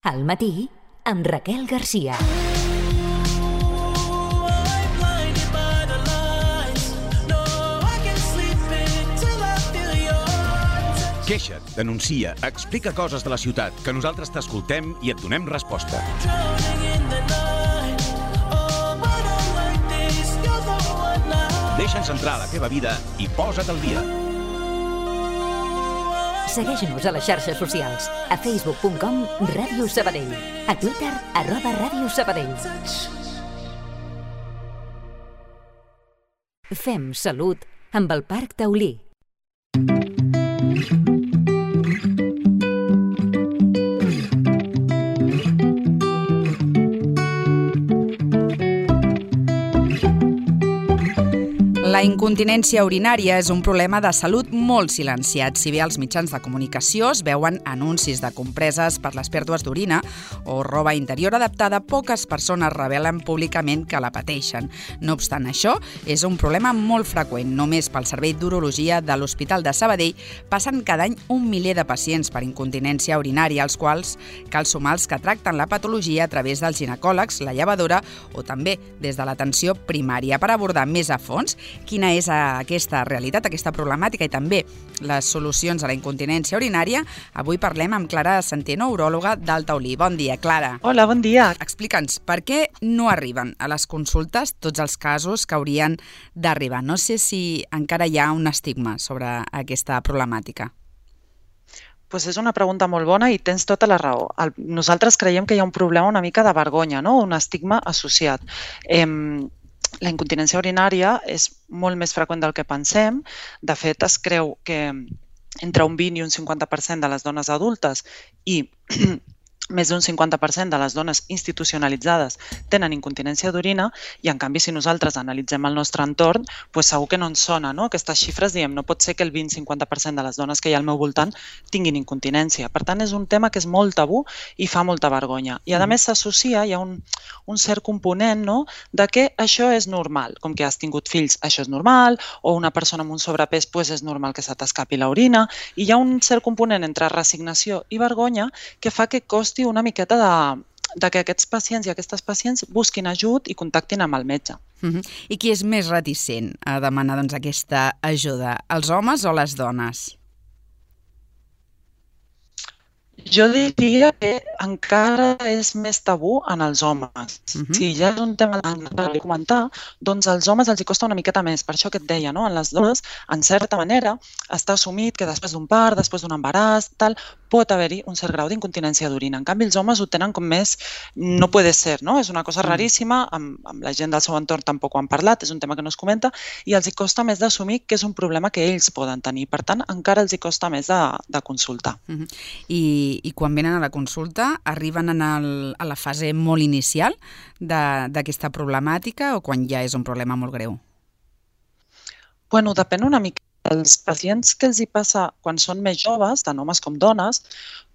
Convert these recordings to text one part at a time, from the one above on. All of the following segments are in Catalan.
Al matí, amb Raquel Garcia. Queixa't, denuncia, explica coses de la ciutat, que nosaltres t'escoltem i et donem resposta. Deixa'ns entrar a la teva vida i posa't al dia. Segueix-nos a les xarxes socials. A facebook.com/Ràdio Sabadell. A Twitter @Ràdio Sabadell. Fem salut amb el Parc Taulí. La incontinència urinària és un problema de salut molt silenciat. Si bé als mitjans de comunicació es veuen anuncis de compreses per les pèrdues d'orina o roba interior adaptada, poques persones revelen públicament que la pateixen. No obstant això, és un problema molt freqüent. Només pel Servei d'Urologia de l'Hospital de Sabadell passen cada any 1 miler de pacients per incontinència urinària, als quals cal sumar els que tracten la patologia a través dels ginecòlegs, la llevadora o també des de l'atenció primària. Per abordar més a fons quina és aquesta realitat, aquesta problemàtica i també les solucions a la incontinència urinària, avui parlem amb Clara Centeno, uròloga del Taulí. Bon dia, Clara. Hola, bon dia. Explica'ns, per què no arriben a les consultes tots els casos que haurien d'arribar? No sé si encara hi ha un estigma sobre aquesta problemàtica. Pues és una pregunta molt bona i tens tota la raó. Nosaltres creiem que hi ha un problema una mica de vergonya, no? Un estigma associat. La incontinència urinària és molt més freqüent del que pensem. De fet, es creu que entre un 20 i un 50% de les dones adultes i més d'un 50% de les dones institucionalitzades tenen incontinència d'orina i, en canvi, si nosaltres analitzem el nostre entorn, doncs segur que no ens sona, no? Aquestes xifres, diem, no pot ser que el 20-50% de les dones que hi ha al meu voltant tinguin incontinència. Per tant, és un tema que és molt tabú i fa molta vergonya. I, a més, s'associa, hi ha un cert component, no?, de que això és normal. Com que has tingut fills, això és normal, o una persona amb un sobrepès, doncs és normal que se t'escapi l'orina. I hi ha un cert component entre resignació i vergonya que fa que costi una miqueta de que aquests pacients i aquestes pacients busquin ajut i contactin amb el metge. I qui és més reticent a demanar aquesta ajuda, els homes o les dones? Jo diria que encara és més tabú en els homes. Si ja és un tema de comentar, doncs als homes els hi costa una miqueta més. Per això que et deia, no? En les dones, en certa manera, està assumit que després d'un part, després d'un embaràs, tal, pot haver-hi un cert grau d'incontinència d'orina. En canvi, els homes ho tenen com més no puede ser, no? És una cosa raríssima, amb la gent del seu entorn tampoc ho han parlat, és un tema que no es comenta, i els hi costa més d'assumir que és un problema que ells poden tenir. Per tant, encara els hi costa més de consultar. I quan venen a la consulta, arriben a la fase molt inicial d'aquesta problemàtica o quan ja és un problema molt greu? Bueno, depèn una mica. Els pacients que els hi passa quan són més joves, tant homes com dones,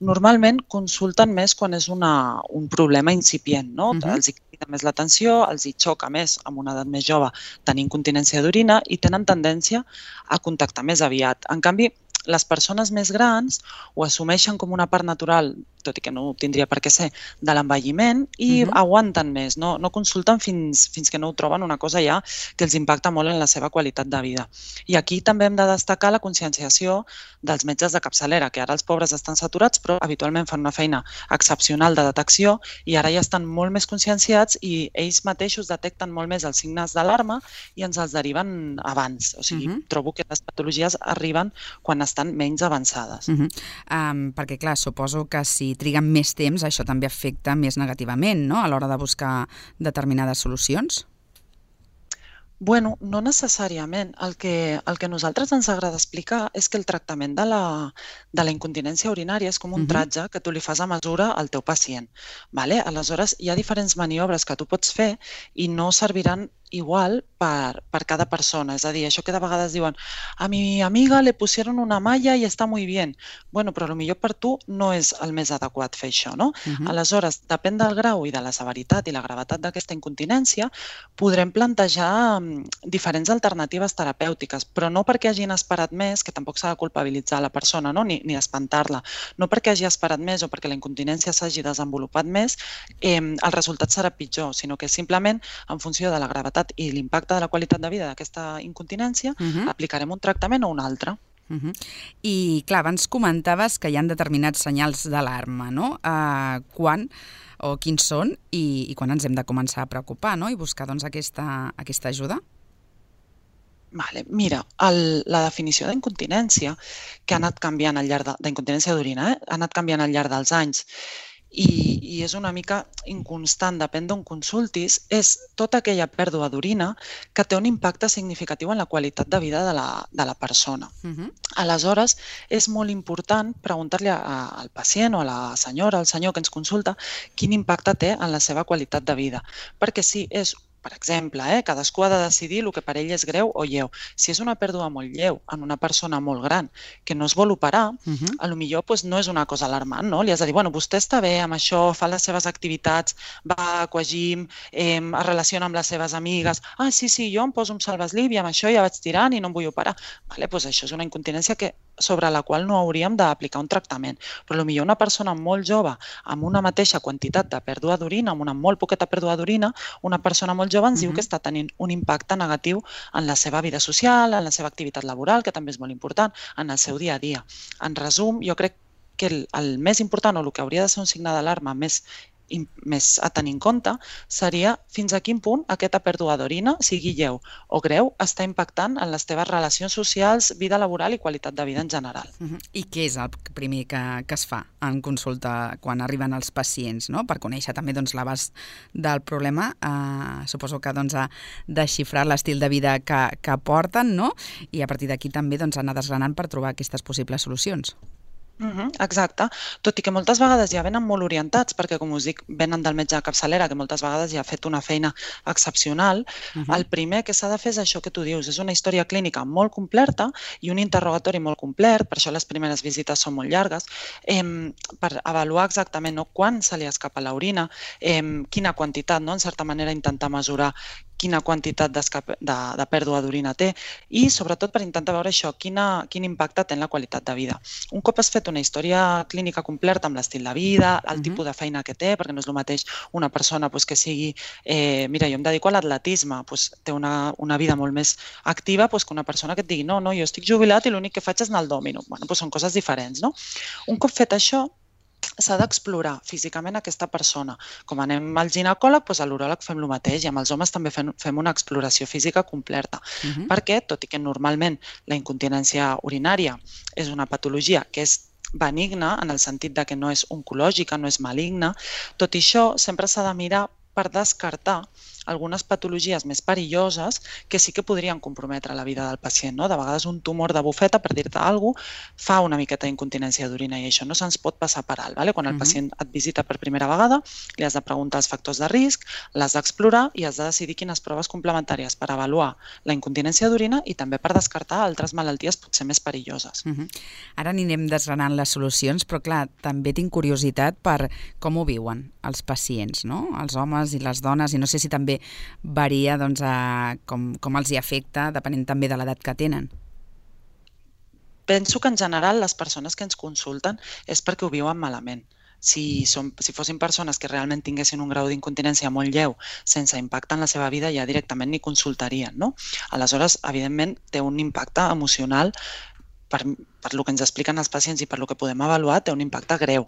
normalment consulten més quan és un problema incipient, no? Els hi crida més l'atenció, els hi xoca més amb una edat més jove tenir incontinència d'orina i tenen tendència a contactar més aviat. En canvi, les persones més grans ho assumeixen com una part natural, tot i que no ho tindria per què ser, de l'envelliment i aguanten més, no consulten fins que no ho troben una cosa ja que els impacta molt en la seva qualitat de vida. I aquí també hem de destacar la conscienciació dels metges de capçalera, que ara els pobres estan saturats, però habitualment fan una feina excepcional de detecció i ara ja estan molt més conscienciats i ells mateixos detecten molt més els signes d'alarma i ens els deriven abans. O sigui, trobo que les patologies arriben quan estan menys avançades. Perquè, clar, suposo que si triguen més temps, això també afecta més negativament, no?, a l'hora de buscar determinades solucions? Bueno, no necessàriament. El que a nosaltres ens agrada explicar és que el tractament de la incontinència urinària és com un tratge que tu li fas a mesura al teu pacient. Aleshores, hi ha diferents maniobres que tu pots fer i no serviran igual per cada persona. És a dir, això que de vegades diuen a mi amiga le pusieron una malla i està muy bien. Bueno, però potser per tu no és el més adequat fer això, no? Aleshores, depèn del grau i de la severitat i la gravetat d'aquesta incontinència, podrem plantejar diferents alternatives terapèutiques, però no perquè hagin esperat més, que tampoc s'ha de culpabilitzar la persona, no? Ni espantar-la. No perquè hagi esperat més o perquè la incontinència s'hagi desenvolupat més, el resultat serà pitjor, sinó que simplement, en funció de la gravetat i l'impacte de la qualitat de vida d'aquesta incontinència, aplicarem un tractament o un altre. I, clar, abans comentaves que hi ha determinats senyals d'alarma, no? Quan o quins són i quan ens hem de començar a preocupar, no? I buscar, doncs, aquesta ajuda? Vale. Mira, la definició d'incontinència, que ha anat canviant al llarg d'incontinència d'orina, ha anat canviant al llarg dels anys, i és una mica inconstant, depèn d'on consultis, és tota aquella pèrdua d'orina que té un impacte significatiu en la qualitat de vida de la persona. Aleshores, és molt important preguntar-li al pacient o a la senyora, al senyor que ens consulta, quin impacte té en la seva qualitat de vida. Perquè si és, per exemple, cadascú ha de decidir el que per ell és greu o lleu. Si és una pèrdua molt lleu en una persona molt gran que no es vol operar, potser no és una cosa alarmant, no? Li has de dir, bueno, vostè està bé amb això, fa les seves activitats, va a aquagym, es relaciona amb les seves amigues, sí, jo em poso un salvaslip i amb això ja vaig tirant i no em vull operar. Doncs això és una incontinència sobre la qual no hauríem d'aplicar un tractament. Però potser una persona molt jove amb una mateixa quantitat de pèrdua d'orina, amb una molt poqueta pèrdua d'orina, una persona molt jove ens diu que està tenint un impacte negatiu en la seva vida social, en la seva activitat laboral, que també és molt important, en el seu dia a dia. En resum, jo crec que el més important o el que hauria de ser un signe d'alarma més a tenir en compte seria fins a quin punt aquesta pèrdua d'orina, sigui lleu o greu, està impactant en les teves relacions socials, vida laboral i qualitat de vida en general. I què és el primer que es fa en consulta quan arriben els pacients, no? Per conèixer també l'abast del problema, suposo que a desxifrar l'estil de vida que porten, no? I a partir d'aquí també anar desgranant per trobar aquestes possibles solucions. Exacte, tot i que moltes vegades ja venen molt orientats, perquè com us dic, venen del metge de capçalera, que moltes vegades ja ha fet una feina excepcional. El primer que s'ha de fer és això que tu dius, és una història clínica molt completa i un interrogatori molt complet, per això les primeres visites són molt llargues, per avaluar exactament quan se li escapa l'orina, quina quantitat, en certa manera intentar mesurar quina quantitat de pèrdua d'orina té i, sobretot, per intentar veure això, quin impacte té en la qualitat de vida. Un cop has fet una història clínica completa amb l'estil de vida, el tipus de feina que té, perquè no és el mateix una persona que sigui... Mira, jo em dedico a l'atletisme, té una vida molt més activa que una persona que et digui no, jo estic jubilat i l'únic que faig és anar al dòmino. Són coses diferents, no? Un cop fet això, s'ha d'explorar físicament aquesta persona. Com anem al ginecòleg, a l'uròleg fem el mateix i amb els homes també fem una exploració física completa. Perquè, tot i que normalment la incontinència urinària és una patologia que és benigna, en el sentit que no és oncològica, no és maligna, tot i això sempre s'ha de mirar per descartar algunes patologies més perilloses que sí que podrien comprometre la vida del pacient. De vegades un tumor de bufeta, per dir-te alguna cosa, fa una miqueta d'incontinència d'orina i això no se'ns pot passar per alt. Quan el pacient et visita per primera vegada, li has de preguntar els factors de risc, l'has d'explorar i has de decidir quines proves complementàries per avaluar la incontinència d'orina i també per descartar altres malalties potser més perilloses. Ara anirem desgranant les solucions, però clar, també tinc curiositat per com ho viuen els pacients, no? Els homes i les dones, i no sé si també varia com els hi afecta, depenent també de l'edat que tenen. Penso que en general les persones que ens consulten és perquè ho viuen malament. Si fossin persones que realment tinguessin un grau d'incontinència molt lleu, sense impacte en la seva vida, ja directament ni consultarien, no? Aleshores, evidentment, té un impacte emocional per el que ens expliquen els pacients i per el que podem avaluar, té un impacte greu.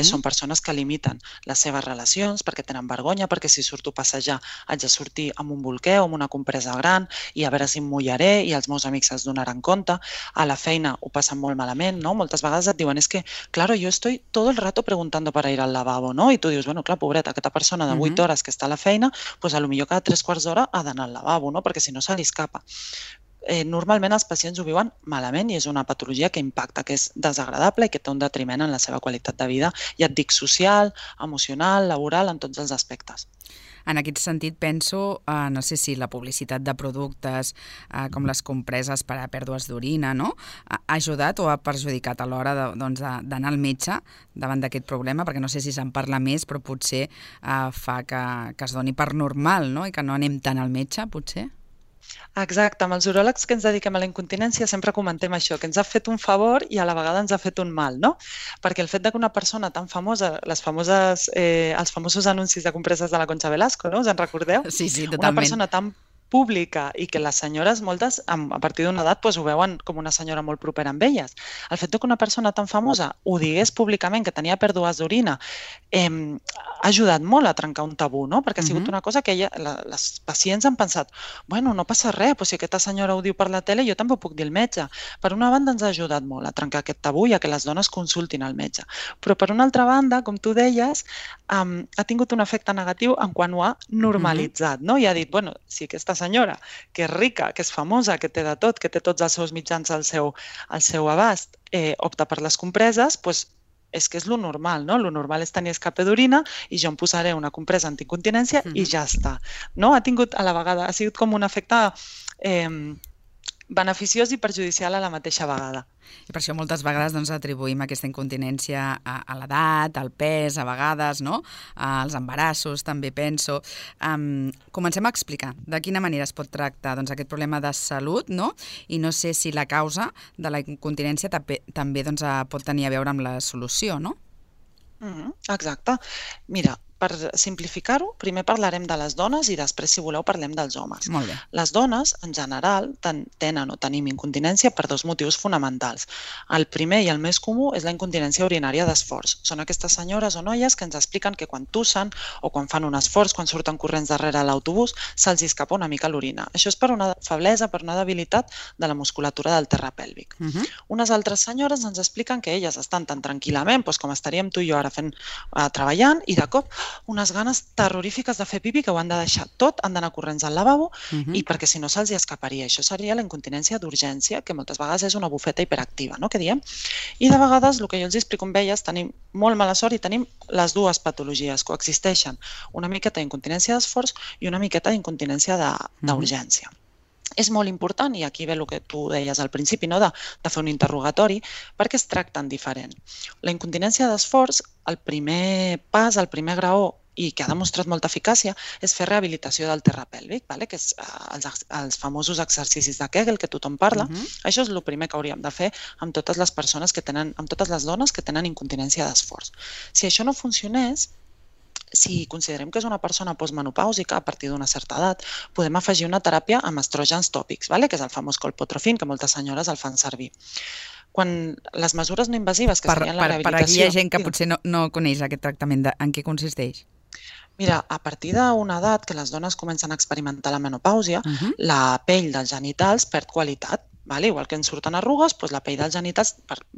Són persones que limiten les seves relacions perquè tenen vergonya, perquè si surto a passejar haig de sortir amb un bolquer o amb una compresa gran i a veure si em mullaré i els meus amics es donaran compte. A la feina ho passen molt malament, no? Moltes vegades et diuen, que, claro, yo estoy todo el rato preguntando para ir al lavabo, no? I tu dius, bueno, clar, pobreta, aquesta persona de 8 hores que està a la feina, pues a lo millor cada 3/4 d'hora ha d'anar al lavabo, no? Perquè si no se li escapa. Normalment els pacients ho viuen malament i és una patologia que impacta, que és desagradable i que té un detriment en la seva qualitat de vida, ja et dic, social, emocional, laboral, en tots els aspectes. En aquest sentit penso, no sé si la publicitat de productes com les compreses per a pèrdues d'orina, no? Ha ajudat o ha perjudicat a l'hora d'anar al metge davant d'aquest problema? Perquè no sé si se'n parla més, però potser fa que es doni per normal, no? I que no anem tant al metge, potser? Exacte, amb els uròlegs que ens dediquem a la incontinència sempre comentem això, que ens ha fet un favor i a la vegada ens ha fet un mal, no? Perquè el fet que una persona tan famosa, els famosos anuncis de compreses de la Concha Velasco, no? Us en recordeu? Sí, totalment. Una persona tan pública i que les senyores, moltes, a partir d'una edat, ho veuen com una senyora molt propera amb elles. El fet que una persona tan famosa ho digués públicament, que tenia pèrdues d'orina, ha ajudat molt a trencar un tabú, no? Perquè ha sigut una cosa que les pacients han pensat, bueno, no passa res, però si aquesta senyora ho diu per la tele, jo també ho puc dir al metge. Per una banda ens ha ajudat molt a trencar aquest tabú i a que les dones consultin al metge. Però per una altra banda, com tu deies, ha tingut un efecte negatiu en quan ho ha normalitzat, no? I ha dit, bueno, si aquesta senyora, que és rica, que és famosa, que té de tot, que té tots els seus mitjans al seu abast, opta per les compreses, doncs és que és lo normal, no? Lo normal és tenir escape d'orina i jo em posaré una compresa anticontinència i ja està, no? Ha tingut a la vegada, ha sigut com un efecte beneficiós i perjudicial a la mateixa vegada. I per això moltes vegades atribuïm aquesta incontinència a l'edat, al pes, a vegades, no? Als embarassos, també penso. Comencem a explicar de quina manera es pot tractar aquest problema de salut, no? I no sé si la causa de la incontinència també pot tenir a veure amb la solució, no? Exacte. Mira, per simplificar-ho, primer parlarem de les dones i després, si voleu, parlem dels homes. Molt bé. Les dones, en general, tenen o tenim incontinència per dos motius fonamentals. El primer i el més comú és la incontinència urinària d'esforç. Són aquestes senyores o noies que ens expliquen que quan tussen o quan fan un esforç, quan surten corrents darrere l'autobús, se'ls escapa una mica l'orina. Això és per una feblesa, per una debilitat de la musculatura del terra pèlvic. Unes altres senyores ens expliquen que elles estan tan tranquil·lament, com estaríem tu i jo ara treballant, i de cop unes ganes terrorífiques de fer pipi que ho han de deixar tot, han d'anar corrents al lavabo i perquè si no se'ls escaparia. Això seria la incontinència d'urgència, que moltes vegades és una bufeta hiperactiva, no? Que diem. I de vegades, el que jo els explico amb elles, tenim molt mala sort i tenim les dues patologies, coexisteixen. Una miqueta d'incontinència d'esforç i una miqueta d'incontinència d'urgència. És molt important, i aquí ve el que tu deies al principi, no? De fer un interrogatori, perquè es tracten diferent. La incontinència d'esforç, el primer pas, el primer graó, i que ha demostrat molta eficàcia, és fer rehabilitació del terra pèlvic, que és els famosos exercicis de Kegel que tothom parla. Això és el primer que hauríem de fer amb totes les persones que tenen, amb totes les dones que tenen incontinència d'esforç. Si això no funcionés, si considerem que és una persona postmenopàusica a partir d'una certa edat, podem afegir una teràpia amb estrògens tòpics, que és el famós colpotrofin, que moltes senyores el fan servir. Quan les mesures no invasives, que serien la rehabilitació... Per aquí hi ha gent que potser no coneix aquest tractament, en què consisteix? Mira, a partir d'una edat que les dones comencen a experimentar la menopàusia, la pell dels genitals perd qualitat. Igual que ens surten arrugues, la pell dels genitals,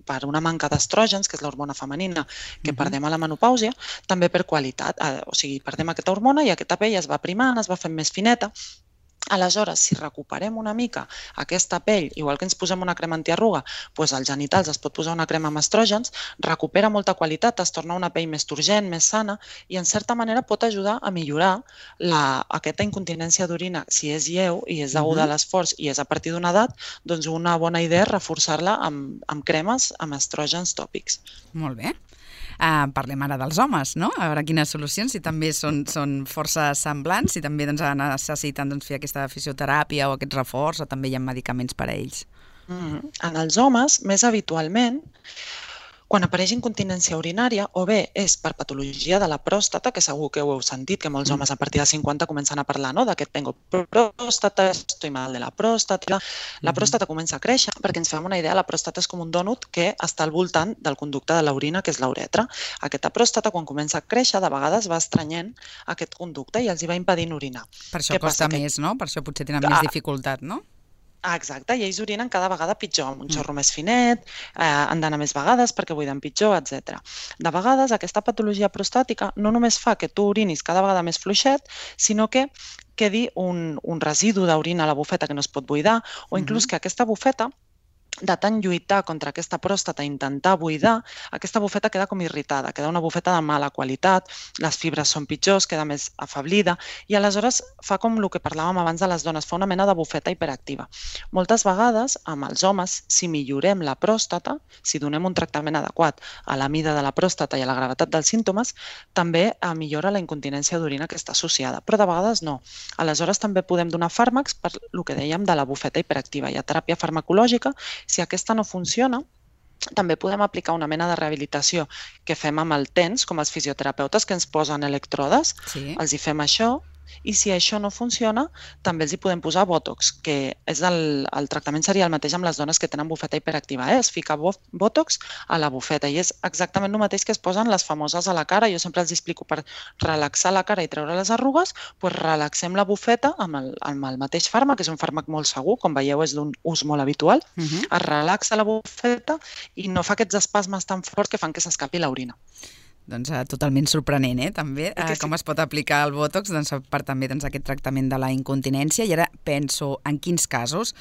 per una manca d'estrògens, que és l'hormona femenina que perdem a la menopàusia, també perd qualitat. O sigui, perdem aquesta hormona i aquesta pell es va primant, es va fent més fineta. Aleshores, si recuperem una mica aquesta pell, igual que ens posem una crema antiarruga, als genitals es pot posar una crema amb estrògens, recupera molta qualitat, es torna una pell més turgent, més sana, i en certa manera pot ajudar a millorar aquesta incontinència d'orina. Si és lleu i és deguda a l'esforç i és a partir d'una edat, doncs una bona idea és reforçar-la amb cremes amb estrògens tòpics. Molt bé. Parlem ara dels homes, no? A veure quines solucions, si també són força semblants, si també necessiten fer aquesta fisioteràpia o aquest reforç, o també hi ha medicaments per a ells. En els homes, més habitualment, quan apareix incontinència urinària, o bé és per patologia de la pròstata, que segur que ho heu sentit, que molts homes a partir de 50 comencen a parlar d'aquest tengo próstata, estoy mal de la pròstata. La pròstata comença a créixer, perquè ens fem una idea, la pròstata és com un dònut que està al voltant del conducte de l'orina, que és la uretra. Aquesta pròstata, quan comença a créixer, de vegades va estrenyent aquest conducte i els va impedint orinar. Per això costa més, no? Per això potser tenen més dificultat, no? Exacte, i ells orinen cada vegada pitjor, amb un xorro més finet, han d'anar més vegades perquè buiden pitjor, etc. De vegades aquesta patologia prostàtica no només fa que tu orinis cada vegada més fluixet, sinó que quedi un residu d'orina a la bufeta que no es pot buidar, o inclús que aquesta bufeta de tant lluitar contra aquesta pròstata i intentar buidar, aquesta bufeta queda com irritada, queda una bufeta de mala qualitat, les fibres són pitjors, queda més afablida i aleshores fa com el que parlàvem abans de les dones, fa una mena de bufeta hiperactiva. Moltes vegades, amb els homes, si millorem la pròstata, si donem un tractament adequat a la mida de la pròstata i a la gravetat dels símptomes, també millora la incontinència d'orina que està associada, però de vegades no. Aleshores també podem donar fàrmacs per el que dèiem de la bufeta hiperactiva. Hi ha teràpia farmacològica. Si aquesta no funciona, també podem aplicar una mena de rehabilitació que fem amb el TENS, com els fisioterapeutes que ens posen electrodes, els hi fem això, i si això no funciona, també els hi podem posar Botox, que és el tractament seria el mateix amb les dones que tenen bufeta hiperactiva. Es fica Botox a la bufeta i és exactament el mateix que es posen les famoses a la cara. Jo sempre els explico per relaxar la cara i treure les arrugues, doncs relaxem la bufeta amb el mateix fàrmac, que és un fàrmac molt segur, com veieu és d'un ús molt habitual, es relaxa la bufeta i no fa aquests espasmes tan forts que fan que s'escapi l'orina. Doncs totalment sorprenent, també, com es pot aplicar el Botox per també aquest tractament de la incontinència. I ara penso, en quins casos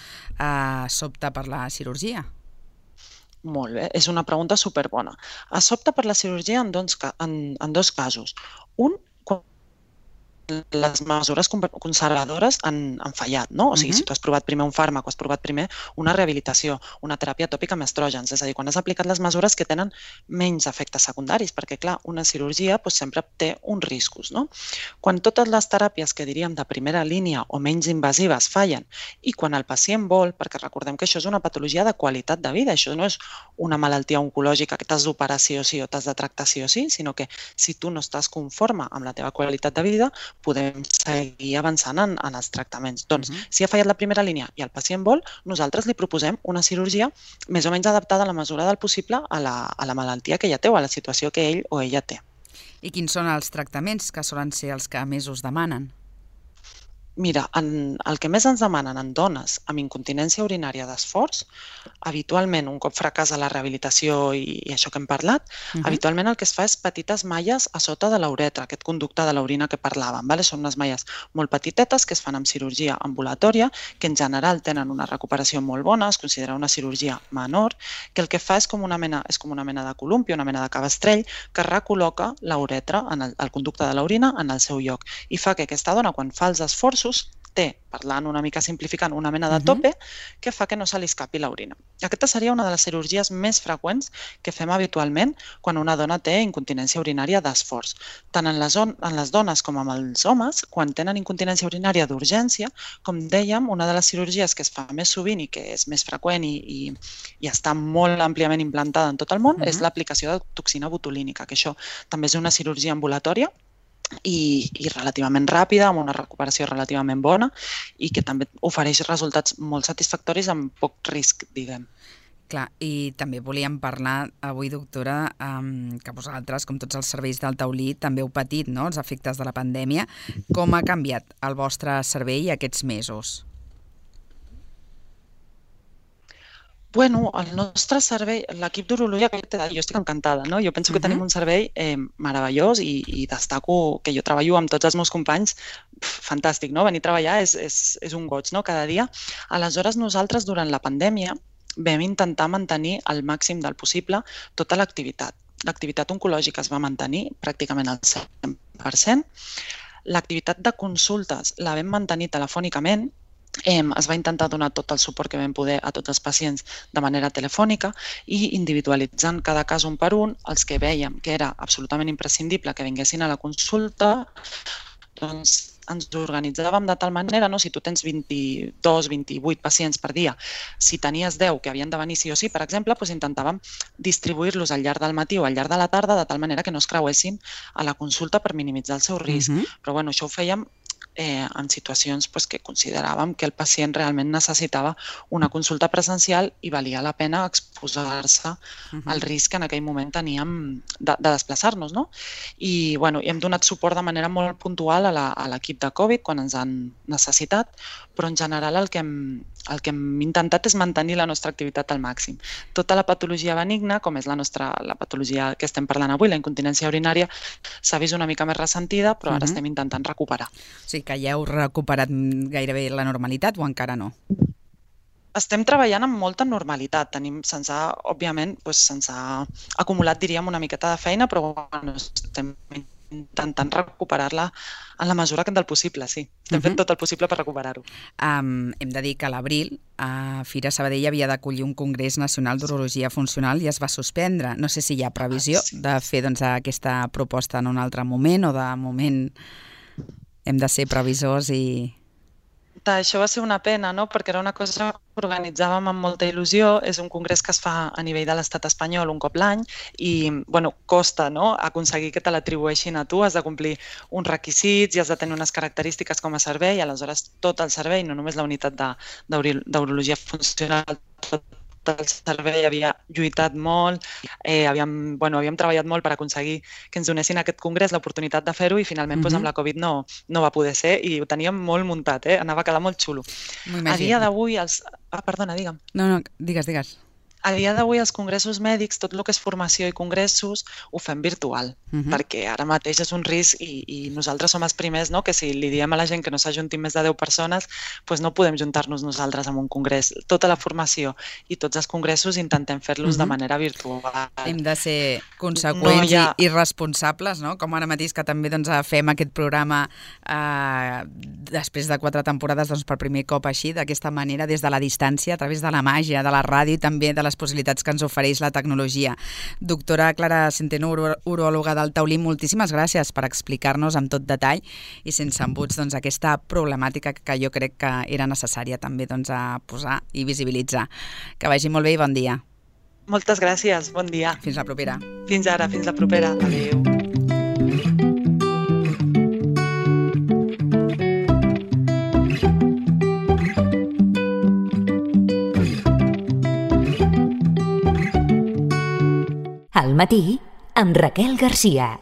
s'opta per la cirurgia? Molt bé, és una pregunta superbona. S'opta per la cirurgia en dos casos. Un, quan les mesures conservadores han fallat, no? O sigui, si tu has provat primer un fàrmac o has provat primer una rehabilitació, una teràpia tòpica amb estrògens, és a dir, quan has aplicat les mesures que tenen menys efectes secundaris, perquè, clar, una cirurgia sempre té uns riscos, no? Quan totes les teràpies que diríem de primera línia o menys invasives fallen i quan el pacient vol, perquè recordem que això és una patologia de qualitat de vida, això no és una malaltia oncològica que t'has d'operar sí o sí o t'has de tractar sí o sí, sinó que si tu no estàs conforme amb la teva qualitat de vida, podem seguir avançant en els tractaments. Doncs, si ha fallat la primera línia i el pacient vol, nosaltres li proposem una cirurgia més o menys adaptada a la mesura del possible a la malaltia que ella té o a la situació que ell o ella té. I quins són els tractaments que solen ser els que més us demanen? Mira, el que més ens demanen en dones amb incontinència urinària d'esforç, habitualment, un cop fracassa la rehabilitació i això que hem parlat, habitualment el que es fa és petites malles a sota de l'uretra, aquest conducte de l'orina que parlàvem. Són unes malles molt petitetes que es fan amb cirurgia ambulatòria, que en general tenen una recuperació molt bona, es considera una cirurgia menor, que el que fa és com una mena de columpi, una mena de cabestrell, que recol·loca l'uretra, el conducte de l'orina, en el seu lloc. I fa que aquesta dona, quan fa els esforços, té, parlant una mica simplificant, una mena de tope que fa que no se li escapi l'orina. Aquesta seria una de les cirurgies més freqüents que fem habitualment quan una dona té incontinència urinària d'esforç. Tant en les dones com en els homes, quan tenen incontinència urinària d'urgència, com dèiem, una de les cirurgies que es fa més sovint i que és més freqüent i està molt àmpliament implantada en tot el món és l'aplicació de toxina botulínica, que això també és una cirurgia ambulatòria i relativament ràpida, amb una recuperació relativament bona i que també ofereix resultats molt satisfactoris amb poc risc, diguem. Clar, i també volíem parlar avui, doctora, que vosaltres, com tots els serveis del taulí, també heu patit els efectes de la pandèmia. Com ha canviat el vostre servei aquests mesos? Bueno, el nostre servei, l'equip d'urologia, jo estic encantada, no? Jo penso que tenim un servei meravellós i destaco que jo treballo amb tots els meus companys, fantàstic, no? Venir a treballar és un goig, no? Cada dia. Aleshores, nosaltres, durant la pandèmia, vam intentar mantenir al màxim del possible tota l'activitat. L'activitat oncològica es va mantenir pràcticament al 100%. L'activitat de consultes la vam mantenir telefònicament. Es va intentar donar tot el suport que vam poder a tots els pacients de manera telefònica i individualitzant cada cas un per un, els que vèiem que era absolutament imprescindible que vinguessin a la consulta, doncs ens organitzàvem de tal manera, si tu tens 22, 28 pacients per dia, si tenies 10 que havien de venir sí o sí, per exemple, doncs intentàvem distribuir-los al llarg del matí o al llarg de la tarda de tal manera que no es creuessin a la consulta per minimitzar el seu risc. Però bueno, això ho fèiem en situacions que consideràvem que el pacient realment necessitava una consulta presencial i valia la pena exposar-se al risc que en aquell moment teníem de desplaçar-nos, no? I hem donat suport de manera molt puntual a l'equip de Covid quan ens han necessitat, però en general el que hem intentat és mantenir la nostra activitat al màxim. Tota la patologia benigna, com és la patologia que estem parlant avui, la incontinència urinària, s'ha vist una mica més ressentida, però ara estem intentant recuperar. Sí, que ja heu recuperat gairebé la normalitat o encara no? Estem treballant amb molta normalitat. Òbviament, se'ns ha acumulat, diríem, una miqueta de feina, però bueno, estem intentant recuperar-la en la mesura del possible, sí. Estem fent tot el possible per recuperar-ho. Hem de dir que a l'abril Fira Sabadell havia d'acollir un Congrés Nacional d'Urologia Funcional i es va suspendre. No sé si hi ha previsió de fer aquesta proposta en un altre moment o de moment hem de ser previsors i... Això va ser una pena, no? Perquè era una cosa que organitzàvem amb molta il·lusió. És un congrés que es fa a nivell de l'estat espanyol un cop l'any i costa, no?, aconseguir que te l'atribueixin a tu. Has de complir uns requisits i has de tenir unes característiques com a servei. Aleshores, tot el servei, no només la unitat d'urologia funcional, tot el servei havia lluitat molt, havíem treballat molt per aconseguir que ens donessin aquest congrés l'oportunitat de fer-ho i finalment amb la Covid no va poder ser i ho teníem molt muntat, anava a quedar molt xulo. A dia d'avui Perdona, digue'm. No, digues. A dia d'avui els congressos mèdics, tot el que és formació i congressos, ho fem virtual, perquè ara mateix és un risc i nosaltres som els primers, no?, que si li diem a la gent que no s'ajuntin més de 10 persones, doncs no podem juntar-nos nosaltres en un congrés. Tota la formació i tots els congressos intentem fer-los de manera virtual. Hem de ser conseqüents i responsables, no?, com ara mateix que també fem aquest programa després de 4 temporades per primer cop així, d'aquesta manera, des de la distància, a través de la màgia, de la ràdio i també de les possibilitats que ens ofereix la tecnologia. Doctora Clara Centeno, uròloga del Taulí, moltíssimes gràcies per explicar-nos amb tot detall i sense embuts aquesta problemàtica que jo crec que era necessària també a posar i visibilitzar. Que vagi molt bé i bon dia. Moltes gràcies, bon dia. Fins la propera. Fins ara, fins la propera. Adéu. Al matí, amb Raquel Garcia.